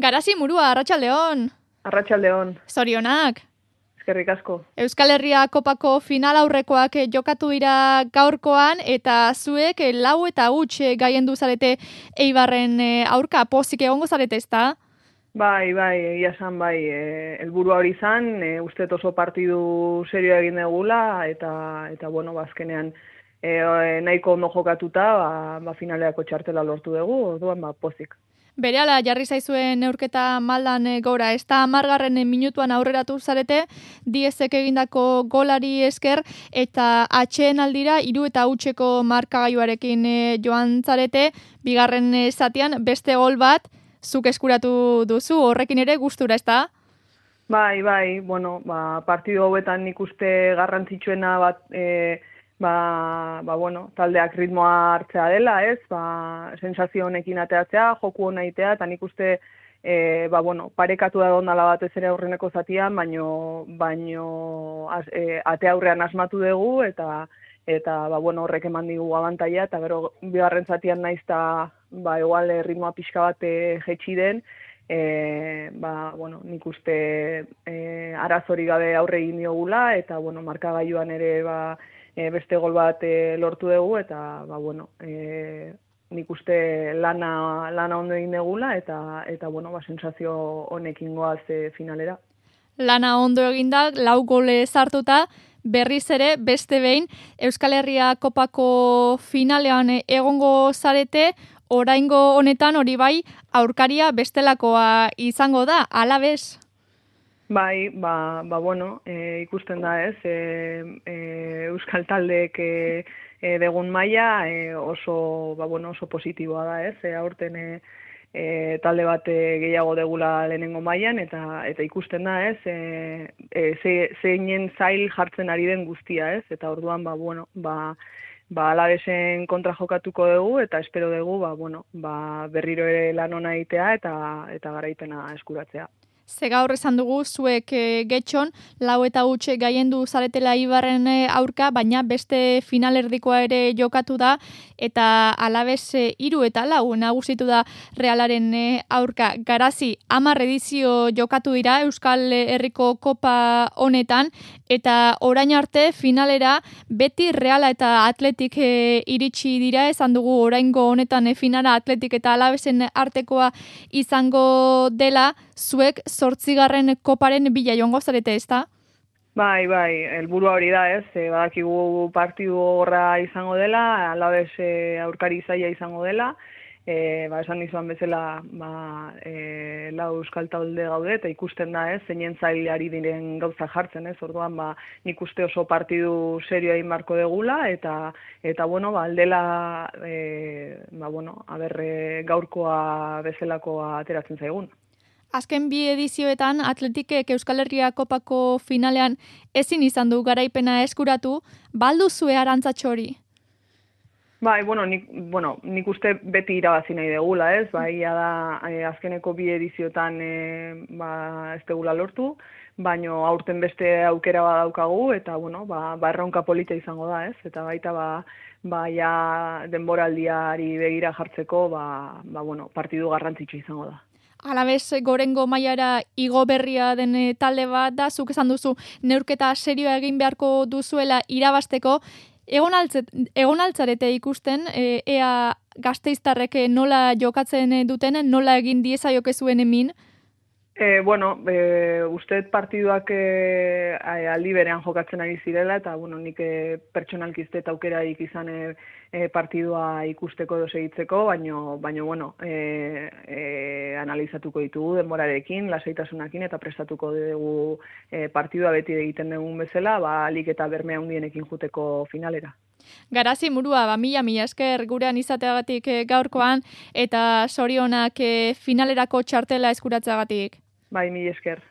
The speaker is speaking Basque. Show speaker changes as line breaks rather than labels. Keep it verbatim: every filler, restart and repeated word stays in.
Garazi murua, Arratsaldeon.
Arratsaldeon.
Zorionak.
Eskerrik asko.
Euskal Herria Kopako final aurrekoak jokatu dira gaurkoan eta zuek lau eta huts gaiendu zarete Eibarren aurka, pozik egongo zarete, ezta?
Bai, bai, egia esan bai, e, helburua hori izan, e, uste oso partidu serioa egin degula eta eta bueno, bazkenean e, nahiko ondo jokatuta, ba, ba finaleako txartela lortu dugu, orduan ba pozik.
Berehala jarri zaizuen neurketa maldan gora, ez da hamargarren minutuan aurreratu zarete, Diezek egindako golari esker, eta atxeen aldira hiru eta hutseko markagailuarekin joan zarete, bigarren zatian beste gol bat, zuk eskuratu duzu, horrekin ere gustura, ez da?
Bai, bai, bueno, ba, partidu hauetan nik uste garrantzitsuena bat, e, Ba, ba, bueno, taldeak ritmoa hartzea dela, ez? Ba, sensazio honekin ateatzea, joku hona itea, eta nik uste e, ba, bueno, parekatu da ondala batez ere aurreneko zatian, baino, baino az, e, ate aurrean asmatu dugu, eta eta ba, bueno, horrek eman digu abantaia, eta gero bigarren zatian naizta ba, igual ritmoa pixka bat e, jetxi den, e, ba, bueno, nik uste e, arazori gabe aurre egin diogula, eta bueno, markagailuan ere ba, E, beste gol bat e, lortu dugu, eta ba, bueno, e, nik uste lana, lana ondo egin degula, eta, eta bueno, ba, sensazio honekin goaz e, finalera.
Lana ondo eginda, lau gole sartuta, berriz ere, beste behin, Euskal Herria Kopako finalean egongo zarete, oraingo honetan hori bai, aurkaria bestelakoa izango da, Alavés.
Bai, ba, ba bueno, e, ikusten da ez, e, e, Euskal Taldeek e, e, degun maila e, oso, ba, bueno, oso positiboa da ez, e, aurten e, e, talde bat e, gehiago degula lehenengo mailan eta eta ikusten da ez, e, e, ze, zeinen zail jartzen ari den guztia ez, eta orduan, ba, bueno, ba, ba Alavesen kontra jokatuko dugu eta espero dugu, ba, bueno, ba, berriro ere lan ona egitea eta, eta garaipena eskuratzea.
Ze gaur esan dugu, zuek e, getxon, lau eta huts gaiendu zaretela Eibarren aurka, baina beste finalerdikoa ere jokatu da, eta Alavés hiru eta lau nagusitu da Realaren e, aurka. Garazi, hamar edizio jokatu dira Euskal Herriko Kopa honetan, eta orain arte finalera beti Reala eta Atletik e, iritsi dira, esan dugu oraingo honetan e, finala Atletik eta Alavesen artekoa izango dela, zuek zortzigarren koparen bila joango zarete, ez da?
Bai, bai, helburua hori da, ez, e, badakigu partidu horra izango dela, Alavés e, aurkari zaila izango dela, e, ba, esan dizuan bezala, ba, e, lau euskal talde gaude, eta ikusten da, ez, zeinen zailari diren gauza jartzen, ez, orduan, ba, nik uste oso partidu serioa inbarko degula, eta, eta bueno, ba, aldela, e, ba, bueno, aber, e, gaurkoa bezalakoa ateratzen zaigun.
Azken bi edizioetan Atletikek Euskal Herria Kopako finalean ezin izan du garaipena eskuratu, baldu zue arantzatxo hori?
Bai, bueno, nik, bueno, nik uste beti irabazi nahi degula, ez? Bai, da eh, azkeneko bi edizioetan eh, ba, ez degula lortu, baino aurten beste aukera badaukagu, eta, bueno, ba, ba erronka polita izango da, ez? Eta baita, ba, ba ja denboraldiari begira jartzeko, ba, ba, bueno, partidu garrantzitsu izango da.
Alavés gorengo mailara igo berria den talde bat da, zuk esan duzu neurketa serioa egin beharko duzuela irabasteko, egon, altzet, egon altzarete ikusten, e, ea Gasteiztarrek nola jokatzen duten, nola egin diezaiokezuen emin?
E, bueno, e, usteet partiduak e, aldi berean jokatzen ari zirela, eta bueno, nik e, pertsonalki ez aukerarik izan e, e, partidua ikusteko edo segitzeko, baino, baino bueno, e, e, analizatuko ditugu denborarekin, lasaitasunakin, eta prestatuko dugu e, partidua beti egiten dugun bezala, ba, alik eta bermea hundienekin juteko finalera.
Garazi murua, ba, mila, mila esker gurean izateagatik gaurkoan, eta zorionak e, finalerako txartela eskuratzeagatik.
Bai, mila esker.